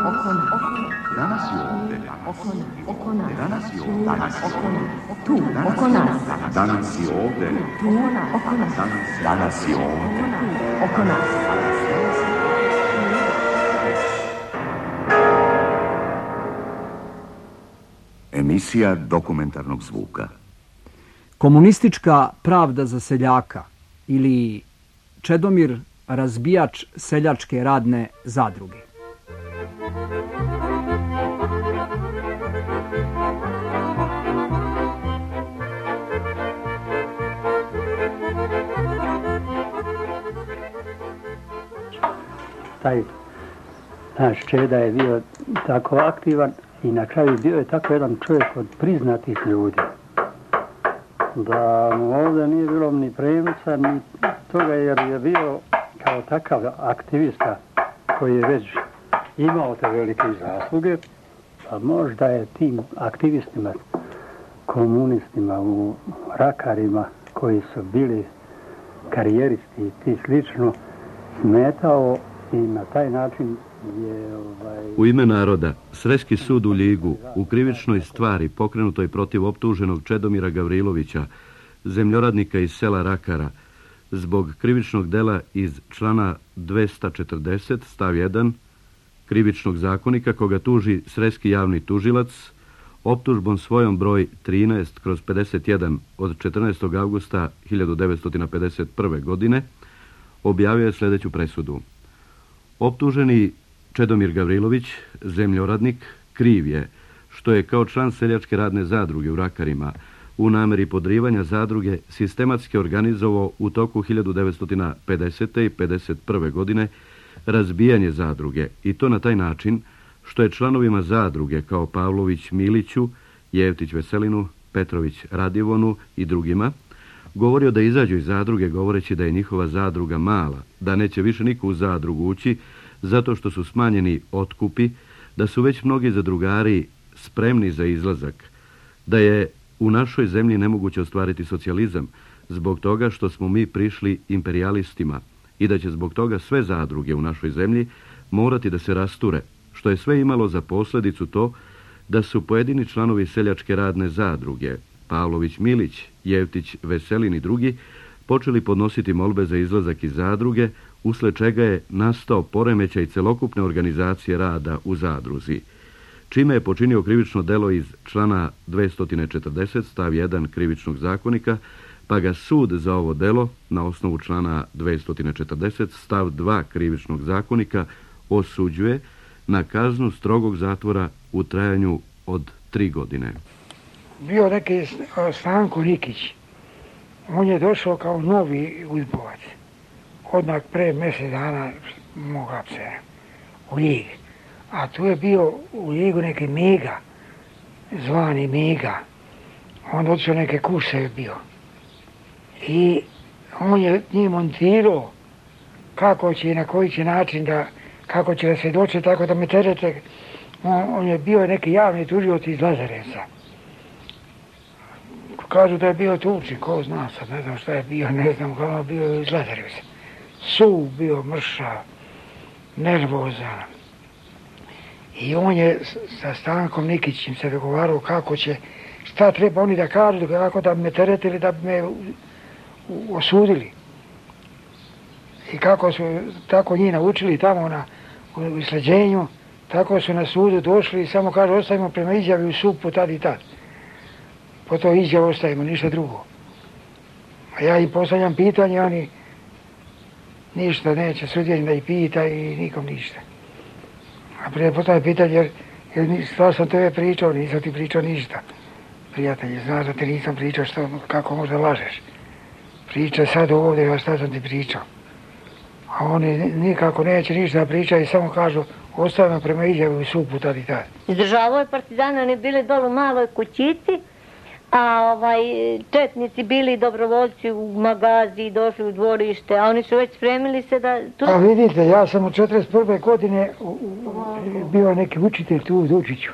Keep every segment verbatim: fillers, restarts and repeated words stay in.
Danas je ovde. Danas je ovde. Danas je ovde. Tu, oko nas. Danas je ovde. Tu, oko nas. Danas je ovde. Oko nas. Emisija dokumentarnog zvuka. Komunistička pravda za seljaka ili Čedomir razbijač seljačke radne zadruge. Taj naš Čeda je bio tako aktivan i na kraju bio je tako jedan čovjek od priznatih ljudi. Da mu ovdje nije bilo ni premca, ni toga jer je bio kao takav aktivista koji je već imao te velike zasluge, pa možda je tim aktivistima, komunistima u Rakarima koji su bili karijeristi i ti slično smetao i na taj način je... Ovaj... U ime naroda, Sreski sud u Ljigu u krivičnoj stvari pokrenutoj protiv optuženog Čedomira Gavrilovića, zemljoradnika iz sela Rakara, zbog krivičnog dela iz člana dvesta četrdeset stav jedan krivičnog zakonika koga tuži Sreski javni tužilac, optužbom svojom broj trinaest kroz pedeset jedan od četrnaestog avgusta hiljadu devetsto pedeset prve. godine, objavio je sljedeću presudu. Optuženi Čedomir Gavrilović, zemljoradnik, kriv je što je kao član seljačke radne zadruge u Rakarima u nameri podrivanja zadruge sistematski organizovao u toku hiljadu devetsto pedesete i pedeset prve. godine razbijanje zadruge i to na taj način što je članovima zadruge kao Pavlović Miliću, Jevtić Veselinu, Petrović Radivonu i drugima govorio da izađu iz zadruge govoreći da je njihova zadruga mala, da neće više niko u zadrugu ući zato što su smanjeni otkupi, da su već mnogi zadrugari spremni za izlazak, da je u našoj zemlji nemoguće ostvariti socijalizam zbog toga što smo mi prišli imperijalistima i da će zbog toga sve zadruge u našoj zemlji morati da se rasture, što je sve imalo za posljedicu to da su pojedini članovi seljačke radne zadruge, Pavlović Milić, Jevtić Veselin i drugi, počeli podnositi molbe za izlazak iz zadruge, usled čega je nastao poremećaj celokupne organizacije rada u zadruzi, čime je počinio krivično delo iz člana dvesta četrdeset stav jedan krivičnog zakonika, pa ga sud za ovo delo na osnovu člana dvesta četrdeset stav dva krivičnog zakonika osuđuje na kaznu strogog zatvora u trajanju od tri godine. Bio neki Stanko Nikić. On je došao kao novi udbovac. Odmah pre mjesec dana moga se u Ljig. A tu je bio u Ljigu neki Mega, zvani Mega. On otišao neke kurse je bio. I on je njih montirao kako će i na koji će način da, kako će da se doći, tako da me terete. On, on je bio neki javni tužioc iz Lazarevca. Kažu da je bio tučni, ko zna sad, ne znam šta je bio, ne znam kako je bio iz Lazarevca. Suv bio, mršav, nervozan. I on je sa Stankom Nikićem se dogovarao kako će, šta treba oni da kažu, kako da me teretili, da bi me osudili. I kako su tako njih naučili tamo na, u isleđenju, tako su na sudu došli i samo kažu ostavimo prema izjavi u supu tad i tad. Po to izjavu ostavimo, ništa drugo. A ja im postavljam pitanje, oni ništa neće, sudjenim da ih pita i nikom ništa. A prije postavljam pitanje, jer, jer stvar sam tebe pričao, nisam ti pričao ništa. Prijatelji, znaš da ti nisam pričao što, kako možda lažeš. Priča sad ovdje, a šta sam ti pričao. A oni nikako neće ništa pričati, samo kažu ostavimo prema izjavu u supu tad i tad. Izdržavao je partizana, oni bili dole u maloj kućici, a ovaj, četnici bili dobrovoljci u magazi, došli u dvorište, a oni su već spremili se da... Tu... A vidite, ja sam u četrdeset prve godine u, u, bio neki učitelj tu u Dučiću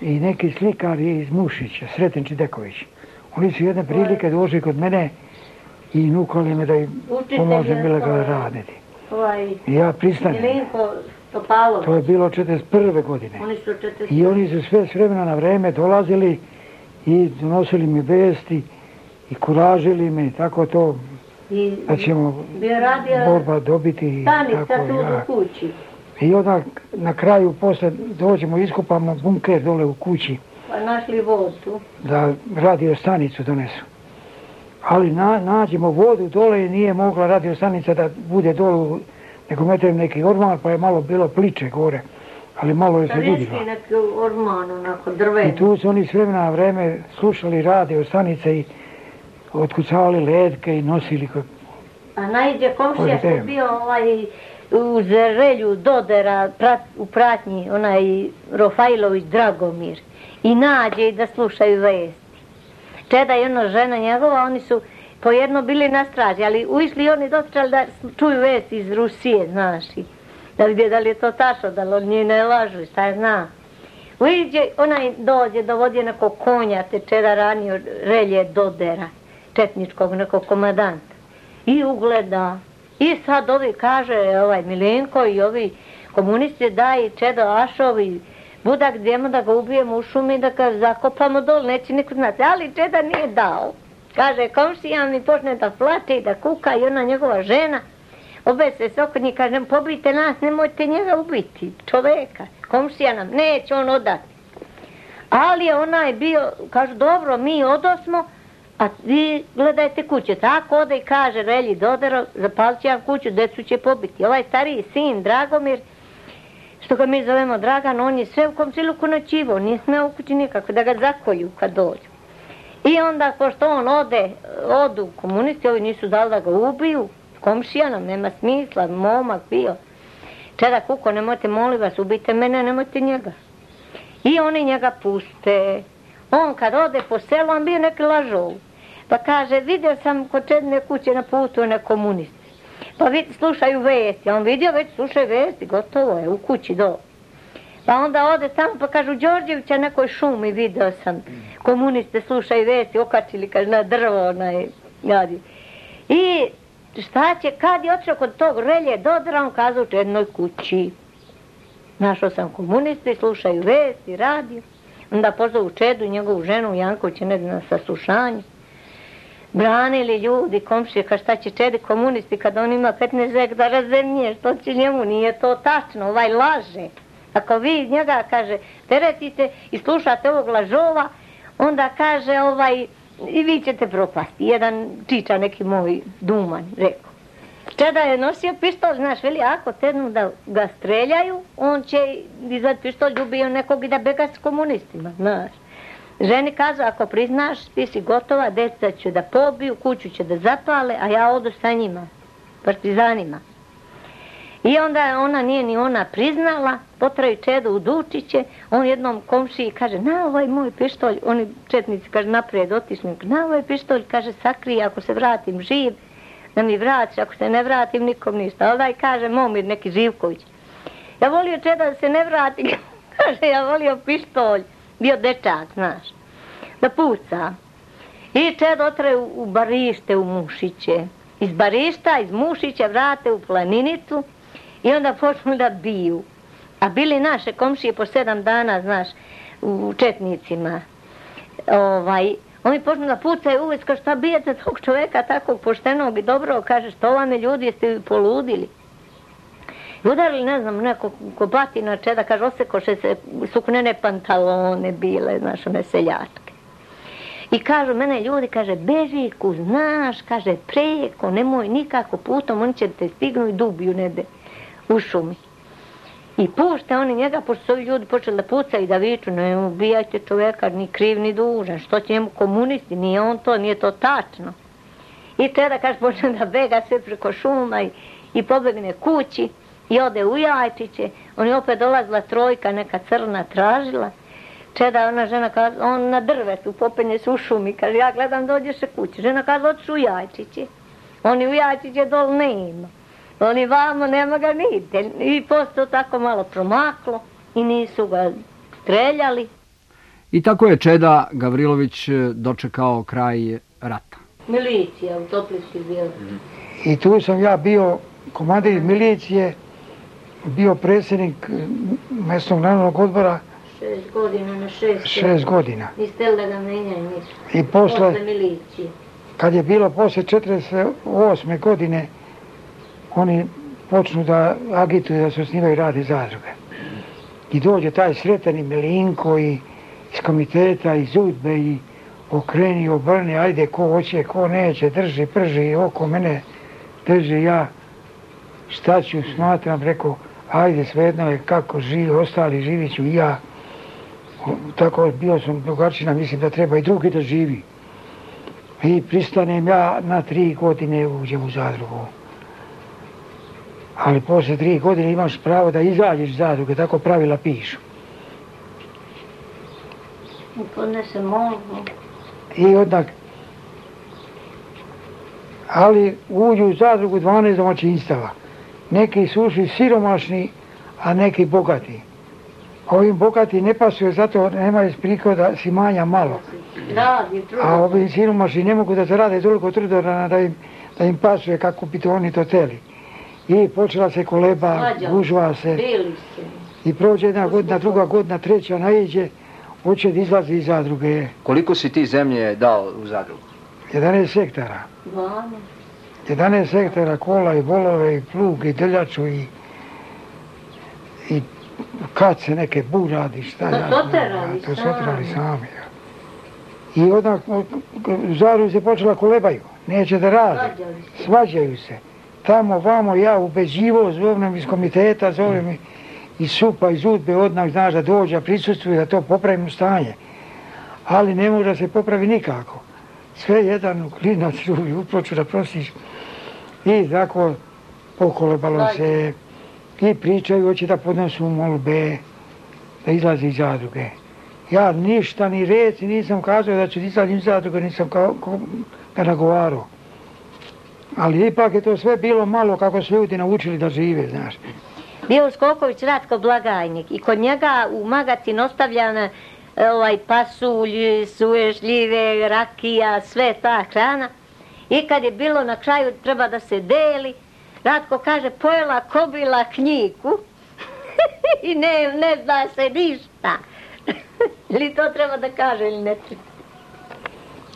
i neki slikar iz Mušića, Sreten Čideković. Oni su jedne prilike došli kod mene i nukali me da im pomožem ilegalno raditi. Ovaj, I ja pristanem. Milinko Topalovac. To je bilo četrdeset prve godine. Oni su četrdeset I oni su sve s vremena na vreme dolazili i donosili mi vesti i kuražili me, tako to I da ćemo borba dobiti. Stanica tako, tu ja. u kući. I onda na kraju posle dođemo, iskopamo bunker dole u kući. Pa našli vodu. Da radio stanicu donesu. Ali na, nađemo vodu dole i nije mogla radio stanica da bude dole, nego metrem neki orman, pa je malo bilo pliče gore. Ali malo je se vidjelo. Da neki orman, onako drven. I tu su oni s vremena na vreme slušali radio stanice i otkucavali ledke i nosili. A najđe komšija što je bio ovaj u Zerelju Dodera prat, u pratnji, onaj Rofajlović Dragomir. I nađe i da slušaju vesti. Čeda i ona žena njegova, oni su pojedno bili na straži, ali ušli oni dotrali da čuju vesti iz Rusije, znaš. Da vidi da li je to tačno, da li oni ne lažu, šta je zna. Uđe, onaj dođe, dovodi nekog konja, te Čeda ranio Relje Dodera, četničkog nekog komadanta. I ugleda. I sad ovi kaže, ovaj Milenko i ovi komunisti daj Čedo Ašovi, budak idemo da ga ubijemo u šumi, da ga zakopamo dol, neće niko znati. Ali Čeda nije dao. Kaže, komšija mi počne da plače i da kuka i ona njegova žena. Obese se oko njih, kaže, pobijte nas, nemojte njega ubiti, čoveka. Komšija nam, neće on odati. Ali ona je bio, kažu, dobro, mi odosmo, a vi gledajte kuće. Tako ode i kaže Relji Dodero, zapalit će vam kuću, decu će pobiti. Ovaj stariji sin, Dragomir, što ga mi zovemo Dragan, on je sve u komšiluku noćivo, nije smeo u kući nikako, da ga zakolju kad dođu. I onda, pošto on ode, odu komunisti, ovi nisu dali da ga ubiju, komšija nam, nema smisla, momak bio. Čeda kuko, nemojte, molim vas, ubijte mene, nemojte njega. I oni njega puste. On kad ode po selu, on bio neki lažov. Pa kaže, vidio sam kod Čedine kuće na putu one komunisti. Pa vidi, slušaju vesti. On vidio, već slušaju vesti, gotovo je, u kući do. Pa onda ode tamo, pa kažu, Đorđevića nekoj šumi vidio sam. Komuniste slušaju vesti, okačili, kaže, na drvo, onaj, jadi. I šta će, kad je otišao kod tog Relje Dodera, on kazao u Čedinoj kući. Našao sam komuniste, slušaju vesti, radio. Onda pozovu Čedu i njegovu ženu Jankovića ne na saslušanje. Branili ljudi, komšije, ka šta će Čedi komunisti kad on ima petnaest hektara zemlje, što će njemu, nije to tačno, ovaj laže. Ako vi njega, kaže, teretite i slušate ovog lažova, onda kaže, ovaj, i vi ćete propasti. Jedan čiča neki moj Duman, rekao. Čeda je nosio pištolj, znaš, veli, ako tednu da ga streljaju, on će izvad pištolj, ubio nekog i da bega s komunistima, znaš. Ženi kažu, ako priznaš, ti si gotova, djeca ću da pobiju, kuću će da zapale, a ja odu sa njima, partizanima. I onda ona nije ni ona priznala, potraju Čedu u Dučiće, on jednom komšiji kaže, na ovaj moj pištolj, oni četnici, kaže, naprijed otišli, na ovaj pištolj, kaže, sakrij, ako se vratim živ, da mi vratiš, ako se ne vratim, nikom ništa. Ali daj, kaže, Momir, neki Živković. Ja volio Čeda da se ne vrati, kaže, ja volio pištolj, bio dečak, znaš, da puca. I Čeda otre u, u Barište, u Mušiće. Iz Barišta, iz Mušića vrate u Planinicu i onda počnu da biju. A bili naše komšije po sedam dana, znaš, u Četnicima. Ovaj, oni počnu da pucaju uvijek, kao šta bijete tog čoveka takvog poštenog i dobrog, kaže, što vam je ljudi, jeste vi poludili. I udarili, ne znam, neko ko batina Čeda, kaže, osekoše se suknene pantalone bile, znaš, one seljačke. I kažu, mene ljudi, kaže, beži, ku znaš, kaže, preko, nemoj nikako putom, oni će te stignu i dubiju nede u šumi. I pušte oni njega, pošto su ovi ljudi počeli da pucaju i da viču, ne ubijajte čoveka, ni kriv, ni dužan, što će njemu komunisti, nije on to, nije to tačno. I Čeda, kaže, počne da bega sve preko šuma i, i pobegne kući i ode u Jajčiće, on je opet dolazila trojka, neka crna tražila. Čeda, ona žena kaže, on na drvetu, popenje se u šumi, kaže, ja gledam, dođeš se kući. Žena kaže, otiš u Jajčiće. Oni u Jajčiće dol ne ima. Oni vamo nema ga nigde. I posto tako malo promaklo i nisu ga streljali. I tako je Čeda Gavrilović dočekao kraj rata. Milicija u Toplici bio. I tu sam ja bio komandir milicije bio predsjednik mjesnog narodnog odbora šest godina na šest. Šest godina. I steli da ga menjaju nisu. I posle, posle milicije. Kad je bilo posle četrdeset osme godine, oni počnu da agituju da se osnivaju radi zadruge. I dođe taj Sreteni Milinko i iz komiteta, iz Udbe i okreni, obrni, ajde ko hoće, ko neće, drži, prži oko mene, drži ja. Šta ću, smatram, rekao, ajde svejedno je kako živi, ostali živit ću i ja. Tako bio sam drugačina, mislim da treba i drugi da živi. I pristanem ja na tri godine uđem u zadrugu. Ali posle tri godine imaš pravo da izađeš iz zadruge, tako pravila pišu. I podnesem molbu. I odnak, ali uđu u zadrugu dvanaest domaćinstava. Neki su ušli siromašni, a neki bogati. Ovim bogati ne pasuje, zato nemaju prihoda, si manja malo. A ovim siromašni ne mogu da zarade toliko trudora da im, da im pasuje kako bi to oni to teli. I počela se koleba, gužva se. I prođe jedna godina, druga godina, treća naiđe, hoće da izlazi iz zadruge. Koliko si ti zemlje dao u zadrugu? jedanaest hektara. jedanaest hektara kola i volove i plug i drljaču i, i kace neke buradi, šta ja znam. To su oterali sami. I odmah u zadrugu se počela kolebaju, neće da rade, svađaju se. Tamo, vamo, ja ubeđivo, zovem iz komiteta, zovem iz supa, iz Udbe, odmah znaš da dođe, prisustvuje da to popravimo stanje. Ali ne može da se popravi nikako. Sve jedan klinac drugi uproču da prosiš. I tako pokolebalo se i pričaju, hoće da podnosu molbe, da izlazi iz zadruge. Ja ništa ni reci nisam kazao da ću izaći iz zadruge, nisam kao, kao, ga nagovarao. Ali ipak je to sve bilo malo kako su ljudi naučili da žive, znaš. Bio Skoković Ratko blagajnik i kod njega u magacin ostavljana ovaj, pasulj, suve šljive, rakija, sve ta hrana. I kad je bilo na kraju treba da se deli, Ratko kaže pojela kobila knjigu i ne, ne zna se ništa. Ili to treba da kaže ili ne treba?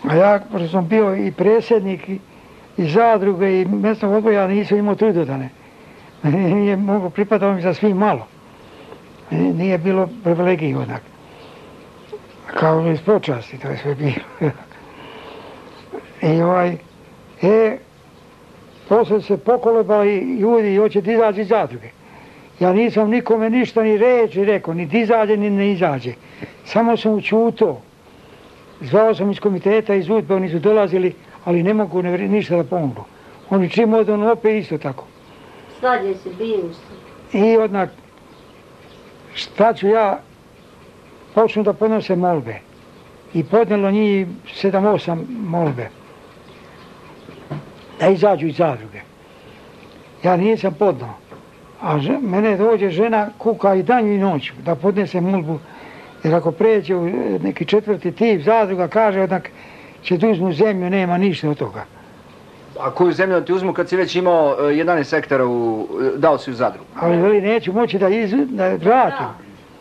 A ja, pošto sam bio i predsjednik i, i zadruge i mjesnog odbora, ja nisam imao trudodane. Nije mogo, pripadao mi za svi malo. Nije bilo privilegiji onak. Kao iz počasti, to je sve bilo. I ovaj, e, posle se pokolebali ljudi i hoće da izađe iz zadruge. Ja nisam nikome ništa ni reći rekao, ni da izađe, ni ne izađe. Samo sam učuto. Zvao sam iz komiteta, iz Udbe, oni su dolazili, ali ne mogu ne, ništa da pomogu. Oni čim odu, on opet isto tako. Svađe se, biju se. I odnak, šta ću ja, počnu da podnose molbe. I podnelo njih sedam osam molbe. Da izađu iz zadruge. Ja nisam podnao. A že, mene dođe žena kuka i danju i noću da podnese molbu. Jer ako pređe u neki četvrti tip zadruga, kaže odak će da uzmu zemlju, nema ništa od toga. A koju zemlju ti uzmu kad si već imao jedanaest hektara, u, dao si u zadrugu? Ali veli, neću moći da, iz, da vratim.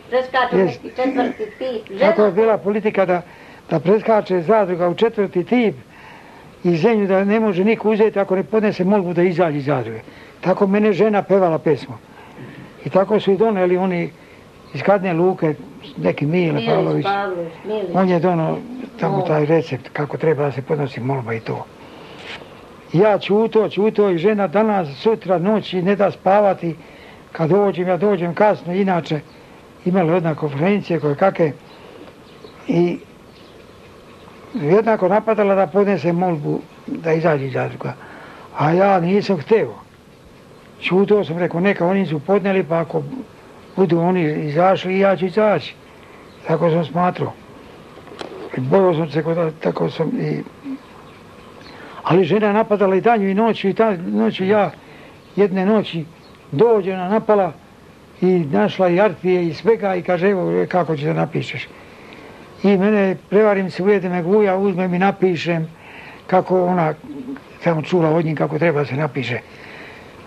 Preskaču neki četvrti tip. Tako je bila politika da, da preskače zadruga u četvrti tip i zemlju da ne može niko uzeti ako ne podnese molbu da izađe iz zadruge. Tako mene žena pevala pesmu. I tako su i doneli oni iz Kadne Luke, neki Mile Pavlović. On je donao tamo taj recept kako treba da se podnosi molba i to. Ja čuto, čuto i žena danas, sutra, noći ne da spavati. Kad dođem, ja dođem kasno, inače imali jedna konferencije koje kakve i jednako napadala da podnese molbu da izađe iz zadruga. A ja nisam hteo. Čuto sam, rekao, neka oni su podneli, pa ako budu oni izašli, ja ću izaći. Tako sam smatrao. Bojao sam se, tako sam i... Ali žena napadala i danju i noću, i ta noću ja jedne noći dođe ona napala i našla i artije i svega i kaže, evo kako će da napišeš. I mene, prevarim se, ujede me guja, uzmem i napišem kako ona tamo čula od njih kako treba se napiše.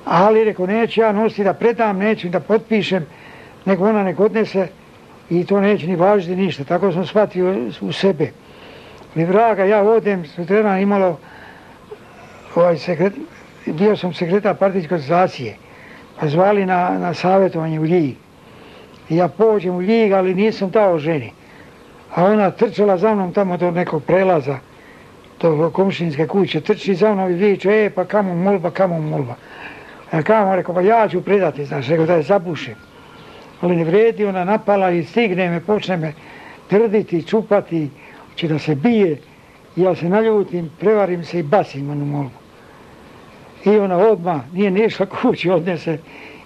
Ali, rekao, neću ja nositi da predam, neću da potpišem, nego ona nek odnese i to neće ni važiti ništa. Tako sam shvatio u sebe. Ali vraga, ja odem, sutradan imalo, ovaj sekret, bio sam sekretar partijske organizacije, pa zvali na, na savjetovanje u Ljig. I ja pođem u Ljig, ali nisam dao ženi. A ona trčala za mnom tamo do nekog prelaza, do komšinske kuće, trči za mnom i viče, e, pa kamo molba, kamo molba. Ja kamo, rekao, pa ja ću predati, znaš, rekao da je zabušim. Ali ne vredi, ona napala i stigne me, počne me trditi, čupati, će da se bije. I ja se naljutim, prevarim se i bacim onu molbu. I ona odmah nije nišla kući, odnese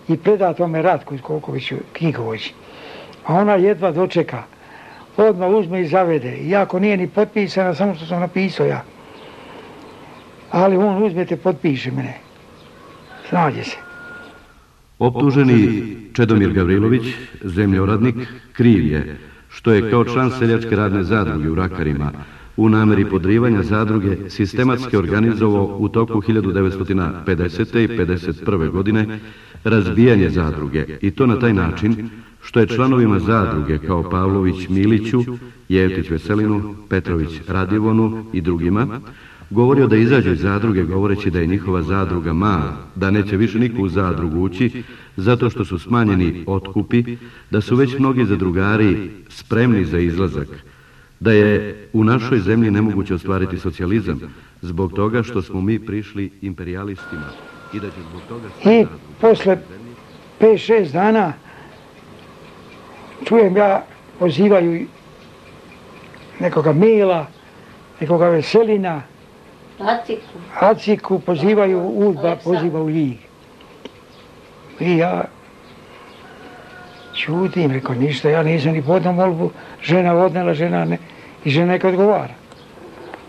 i preda tome Ratku Kokoviću, knjigovođi. A ona jedva dočeka. Odmah uzme i zavede. Iako nije ni potpisana, samo što sam napisao ja. Ali on uzme te potpiše mene. Snađe se. Optuženi Čedomir Gavrilović, zemljoradnik, kriv je što je kao član seljačke radne zadruge u Rakarima u nameri podrivanja zadruge sistematski organizovao u toku hiljadu devetsto pedesete i pedeset prve godine razbijanje zadruge i to na taj način što je članovima zadruge kao Pavlović Miliću, Jevtić Veselinu, Petrović Radivonu i drugima govorio da izađu iz zadruge govoreći da je njihova zadruga mala, da neće više niko u zadrugu ući zato što su smanjeni otkupi, da su već mnogi zadrugari spremni za izlazak, da je u našoj zemlji nemoguće ostvariti socijalizam zbog toga što smo mi prišli imperialistima i da će zbog toga... I posle pet šest dana čujem ja, pozivaju nekoga Mila, nekoga Veselina, Aciku. Aciku pozivaju Udba, poziva u Ljig. I ja čutim, rekao ništa, ja nisam ni podno molbu, žena odnela, žena ne, i žena neka odgovara.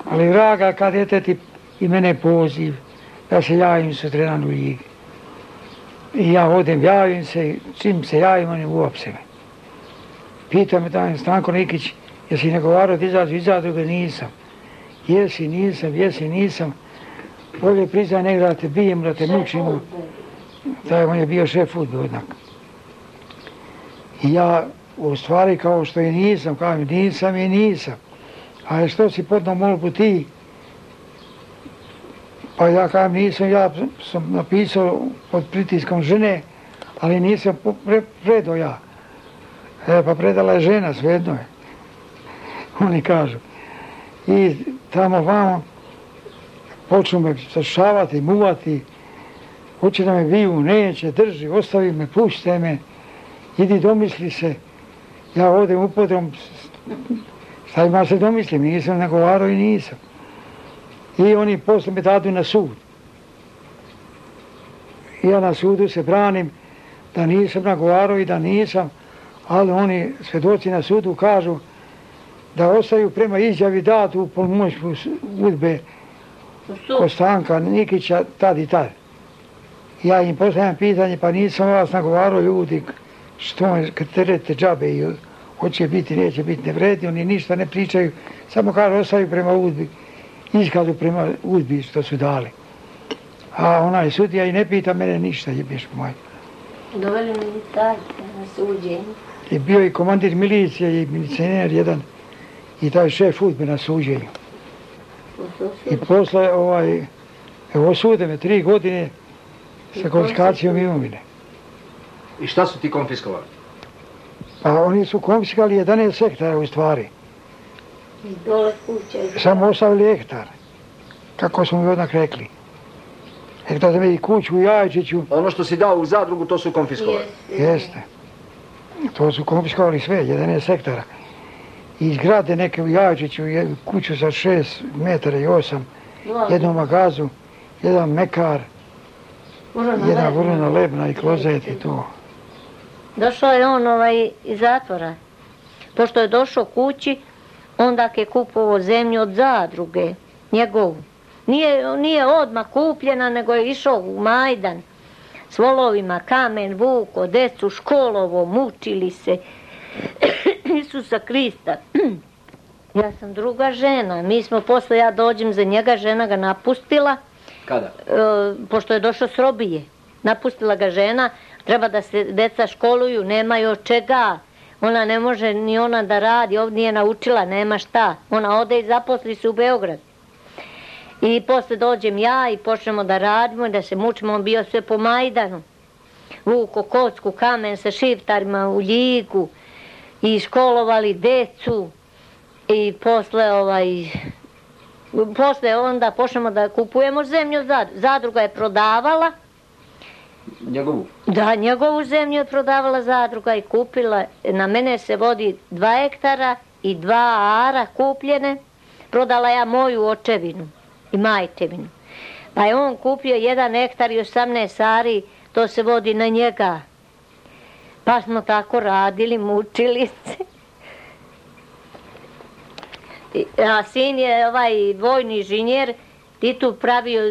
Ali vraga, kad je ti i mene poziv, ja se javim sutradan u Ljig. I ja odem, javim se, čim se javim, oni uopse me. Pita me taj Stanko Nikić, jesi nagovarao da izađu iz zadruge? Nisam. Jesi, nisam, jesi, nisam. Bolje priznaj nego da te bijem, da te mučimo. Taj on je bio šef udbe odnak. I ja u stvari kao što i nisam, kao mi nisam i nisam. A što si podno molbu ti? Pa ja kao nisam, ja sam napisao pod pritiskom žene, ali nisam pre, predao ja. E, pa predala je žena, svejedno je. Oni kažu. I tamo vamo počnu me sašavati, muvati, hoće da me biju, neće, drži, ostavi me, pušte me, idi domisli se. Ja odem upodrom, šta ima se domislim, nisam nagovarao i nisam. I oni posle me dadu na sud. I ja na sudu se branim da nisam nagovarao i da nisam, ali oni svedoci na sudu kažu da ostaju prema izjavi datu u pomoću udbe Kostanka Nikića tad i tad. Ja im postavljam pitanje, pa nisam vas nagovarao ljudi, što kad terete džabe i hoće biti, neće biti, ne vredi, oni ništa ne pričaju, samo kažu ostaju prema udbi, iskazu prema udbi što su dali. A onaj sudija i ne pita mene ništa, jebeš moj. Doveli milicajce na suđenje. Je bio i komandir milicije i milicioner jedan i taj šef udbe na suđenju. I posle ovaj, evo osude me tri godine sa konfiskacijom imovine. I šta su ti konfiskovali? Pa oni su konfiskali jedanaest hektara u stvari. I dole kuće. Samo ostavili hektar. Kako smo mi odnak rekli. Hektar za me i kuću u Jajčiću. Ono što si dao u zadrugu, to su konfiskovali? Jeste. To su konfiskovali sve, jedanaest hektara. I zgrade neke u Jajčiću, kuću za šest metara i osam, jednu magazu, jedan mekar, jedna vrlina lebna i klozet i to. Došao je on ovaj iz zatvora. Pošto je došao kući, onda je kupovao zemlju od zadruge, njegovu. Nije, nije odmah kupljena, nego je išao u Majdan s volovima, kamen, vuko, decu, školovo, mučili se. Isusa Krista. Ja sam druga žena. Mi smo posle, ja dođem za njega, žena ga napustila. Kada? E, pošto je došao s robije. napustila ga žena, treba da se deca školuju, nemaju od čega. Ona ne može ni ona da radi, ovdje nije naučila, nema šta. Ona ode i zaposli se u Beograd. I posle dođem ja i počnemo da radimo, da se mučimo, on bio sve po Majdanu. Vuko kocku, kamen sa šiftarima u Ljigu i školovali decu i posle ovaj... Posle onda počnemo da kupujemo zemlju, zadruga je prodavala. Njegovu? Da, njegovu zemlju je prodavala zadruga i kupila. Na mene se vodi dva hektara i dva ara kupljene. Prodala ja moju očevinu i majčevinu. Pa je on kupio jedan hektar i osamnaest ari, to se vodi na njega. Pa smo tako radili, mučili se. A sin je ovaj vojni inženjer, i tu pravio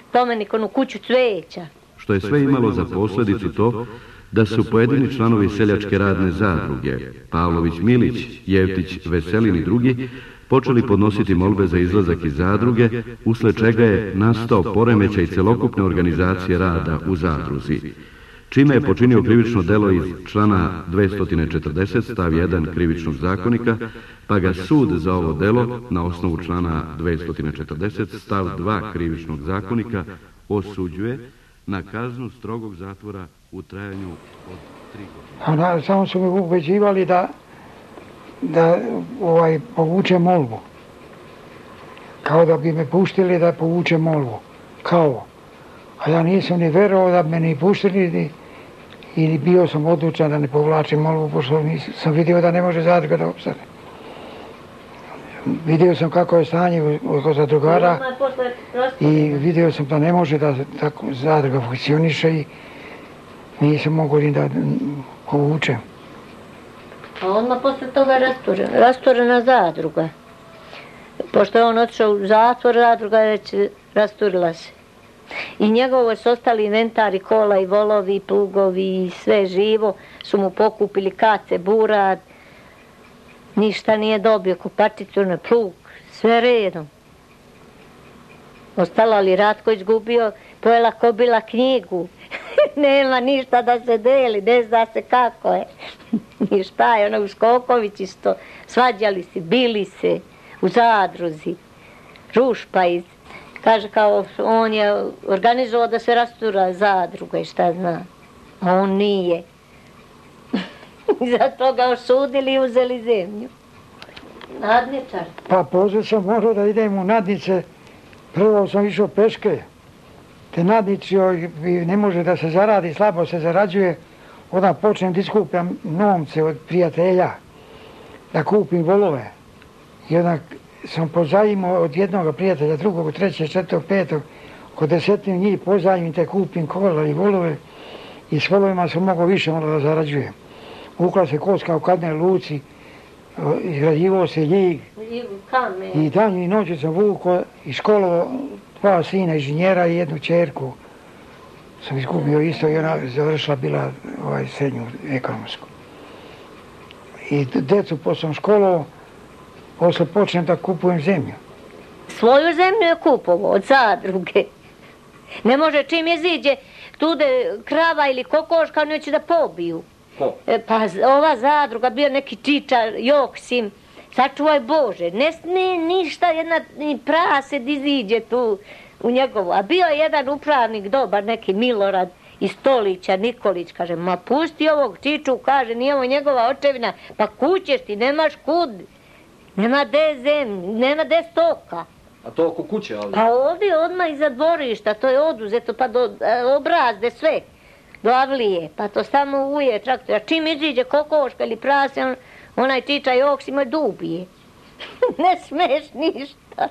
spomenik, onu kuću cveća. Što je sve imalo za posljedicu to da su pojedini članovi seljačke radne zadruge, Pavlović Milić, Jevtić Veselin i drugi, počeli podnositi molbe za izlazak iz zadruge, usled čega je nastao poremećaj celokupne organizacije rada u zadruzi, čime je počinio krivično delo iz člana dvesta četrdeset stav jedan krivičnog zakonika, pa ga sud za ovo delo na osnovu člana dvesta četrdeset stav dva krivičnog zakonika osuđuje na kaznu strogog zatvora u trajanju od tri godine. A samo su mi ubeđivali da da ovaj, povuče molbu. Kao da bi me puštili da povuče molbu. Kao. A ja nisam ni verovao da bi me ni puštili i bio sam odlučan da ne povlačim molbu, pošto sam vidio da ne može zadruga da opstane. Vidio sam kako je stanje oko zadrugara i vidio sam da ne može da tako zadruga funkcioniše i nisam mogao ni da povučem. A odmah posle toga je rasturena, rasturena zadruga. Pošto je on otišao u zatvor, zadruga je već rasturila se. I njegovo su ostali inventari, kola i volovi, plugovi i sve živo su mu pokupili kace, burad. Ništa nije dobio, kupačicu na plug, sve redom. Ostala li Ratko izgubio, pojela kobila knjigu. Nema ništa da se deli, ne zna se kako je. I šta je, ono u Skoković isto, svađali se, bili se u zadruzi. Rušpa iz, kaže kao on je organizovao da se rastura zadruga i šta zna. A on nije. Zato ga osudili i uzeli zemlju. Nadničar. Pa pozve sam morao da idem u nadnice. Prvo sam išao peške. Te nadnici ne može da se zaradi, slabo se zarađuje. Onda počnem da iskupljam novce od prijatelja. Da kupim volove. I onda sam pozajimao od jednog prijatelja, drugog, trećeg, četvrtog, petog. Oko desetinu njih pozajim te kupim kola i volove. I s volovima sam mogao više onda da zarađujem. Vukla se koska u Kadnoj luci, izgrađivao se Ljig. I danju i noću sam vukao i školovao dva sina inženjera i jednu čerku. Sam izgubio isto i ona završila bila ovaj, srednju ekonomsku. I decu posle školovao, posle počnem da kupujem zemlju. Svoju zemlju je kupovao od zadruge. Ne može čim je ziđe, tude krava ili kokoška, neće da pobiju. E, pa ova zadruga, bio neki Čičar, Joksim, sačuvaj Bože, ne smije ništa, jedna ni prase iziđe tu u njegovu. A bio je jedan upravnik dobar, neki Milorad iz Stolića, Nikolić, kaže, ma pusti ovog Čiču, kaže, nije ovo njegova očevina, pa kućeš ti, nemaš kud, nema de zemlje, nema de stoka. A to oko kuće ovdje? Pa ovdje odmah iza dvorišta, to je oduzeto, pa do obrazde sve. Do Avlije, pa to samo uje traktor. A čim iziđe kokoška ili prase, on, onaj Čiča Joksim je dubije. Ne smeš ništa.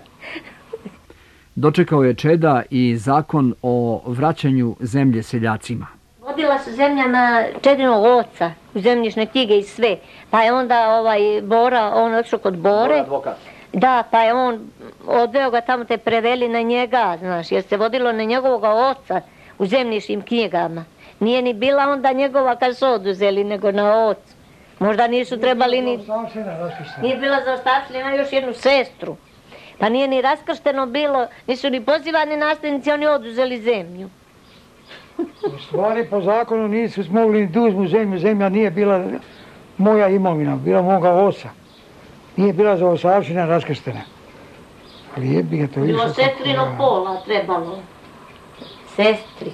Dočekao je Čeda i zakon o vraćanju zemlje seljacima. Vodila se zemlja na Čedinog oca, u zemljišne knjige i sve. Pa je onda ovaj Bora, on otišao kod Bore. Advokat. Da, pa je on odveo ga tamo, te preveli na njega, znaš, jer se vodilo na njegovog oca u zemljišnim knjigama. Nije ni bila onda njegova kad su oduzeli, nego na ocu. Možda nisu trebali ni... Nije bila zaostavština, ima još jednu sestru. Pa nije ni raskršteno bilo, nisu ni pozivani nasljednici, oni oduzeli zemlju. U stvari po zakonu nisu smogli da uzmu zemlju, zemlja nije bila moja imovina, bila moga oca. Nije bila za osavština raskrštena. Ali jebi ga to više. Bilo sestrino pola trebalo. Sestri.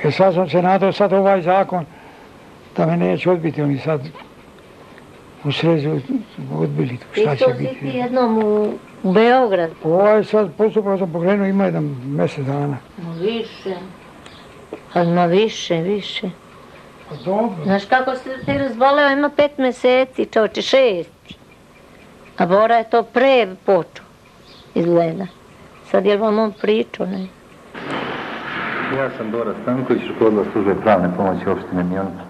E sad sam se nadao, sad ovaj zakon, da me neće odbiti, oni sad u srezu odbili, šta će biti. Ti jednom u, u Beograd. Ovaj sad postupak sam pokrenuo, ima jedan mjesec dana. No više. Ali ma više, više. Pa dobro. Znaš kako se ti razboleo, ima pet mjeseci, čoče, šesti. A Bora je to pre počeo, izgleda. Sad je vam on pričao, ne? Ja sam Bora Stanković, rukovodila službe pravne pomoći opštine Mionica.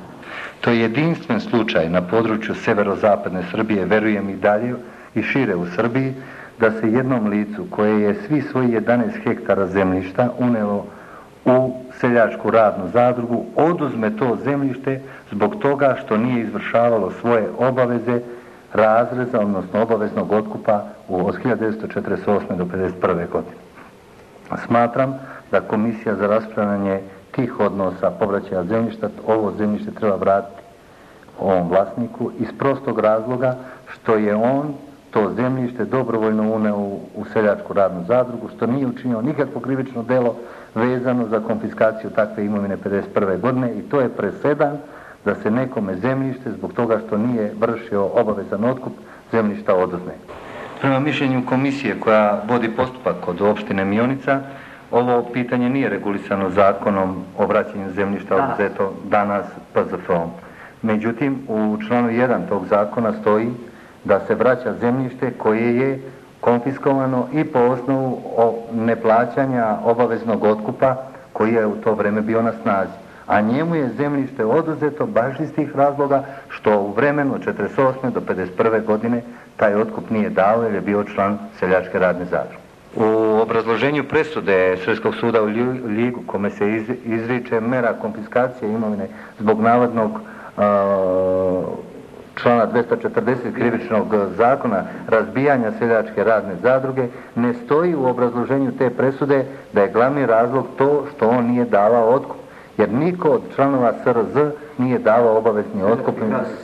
To je jedinstven slučaj na području severozapadne Srbije, verujem i dalje i šire u Srbiji, da se jednom licu koje je svi svoji jedanaest hektara zemljišta unelo u seljačku radnu zadrugu, oduzme to zemljište zbog toga što nije izvršavalo svoje obaveze razreza, odnosno obaveznog otkupa od hiljadu devetsto četrdeset osme do pedeset prve godine. Smatram da komisija za raspravljanje tih odnosa povraćaja zemljišta, ovo zemljište treba vratiti ovom vlasniku iz prostog razloga što je on to zemljište dobrovoljno uneo u seljačku radnu zadrugu, što nije učinio nikakvo krivično delo vezano za konfiskaciju takve imovine pedeset prve godine i to je presedan da se nekome zemljište zbog toga što nije vršio obavezan otkup zemljišta oduzme. Prema mišljenju komisije koja vodi postupak kod opštine Mionica, ovo pitanje nije regulisano zakonom o vraćanju zemljišta oduzeto danas P Z F-om. Međutim, u članu jedan tog zakona stoji da se vraća zemljište koje je konfiskovano i po osnovu neplaćanja obaveznog otkupa koji je u to vreme bio na snazi. A njemu je zemljište oduzeto baš iz tih razloga što u vremenu od četrdeset osme do pedeset prve godine taj otkup nije dao jer je bio član seljačke radne zadruge. U obrazloženju presude Srpskog suda u Ljigu, kome se izriče mera konfiskacije imovine zbog navodnog uh, člana dvesta četrdeset krivičnog zakona razbijanja seljačke radne zadruge, ne stoji u obrazloženju te presude da je glavni razlog to što on nije davao otkup. Jer niko od članova S R Z nije davao obavezni otkup,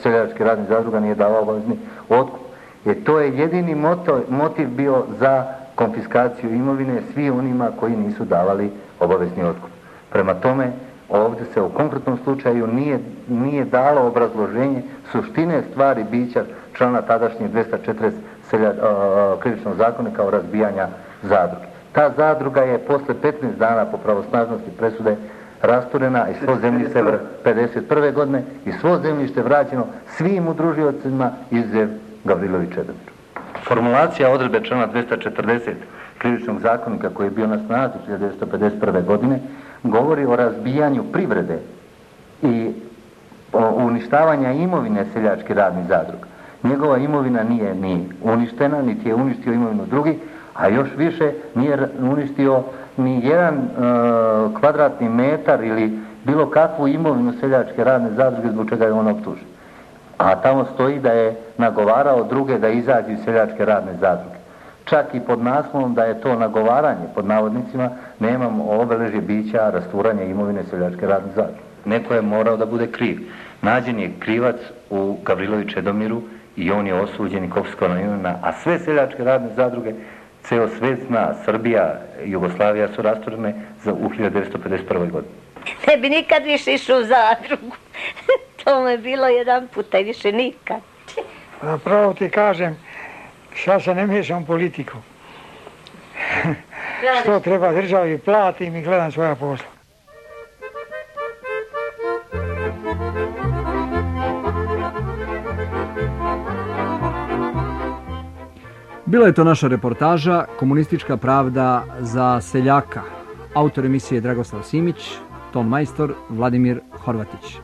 seljačke radne zadruga nije davao obavezni otkup. Jer to je jedini motiv, motiv bio za konfiskaciju imovine svi onima koji nisu davali obavezni otkup. Prema tome, ovdje se u konkretnom slučaju nije, nije dalo obrazloženje suštine stvari bića člana tadašnjeg dvesta četrdeset selja, uh, krivičnog zakonika o razbijanja zadruge. Ta zadruga je posle petnaest dana po pravosnažnosti presude rasturena i svo zemljište pedeset prve godine i svo zemljište vraćeno svim udružiocima izuzev Gavrilović Čedomir. Formulacija odredbe člana dvesta četrdeset krivičnog zakonika koji je bio na snazi hiljadu devetsto pedeset prve godine govori o razbijanju privrede i o uništavanja imovine seljačkih radnih zadruga. Njegova imovina nije ni uništena, niti je uništio imovinu drugih, a još više nije uništio ni jedan e, kvadratni metar ili bilo kakvu imovinu seljačke radne zadruge zbog čega je on optužen. A tamo stoji da je nagovarao druge da izađu iz seljačke radne zadruge. Čak i pod naslovom da je to nagovaranje, pod navodnicima, nemamo obeležje bića rasturanja imovine seljačke radne zadruge. Neko je morao da bude kriv. Nađen je krivac u Gavrilović Čedomiru i on je osuđen i konfiskovana imovina, a sve seljačke radne zadruge, ceo svet zna, Srbija i Jugoslavija su rasturene u hiljadu devetsto pedeset prve godini. Ne bi nikad više išao u zadrugu. To me je bilo jedan puta i više nikad. Pravo ti kažem, ja se ne miješam u politiku. Što treba državi, platim i gledam svoja posla. Bila je to naša reportaža Komunistička pravda za seljaka. Autor emisije Dragoslav Simić, ton majstor Vladimir Horvatić.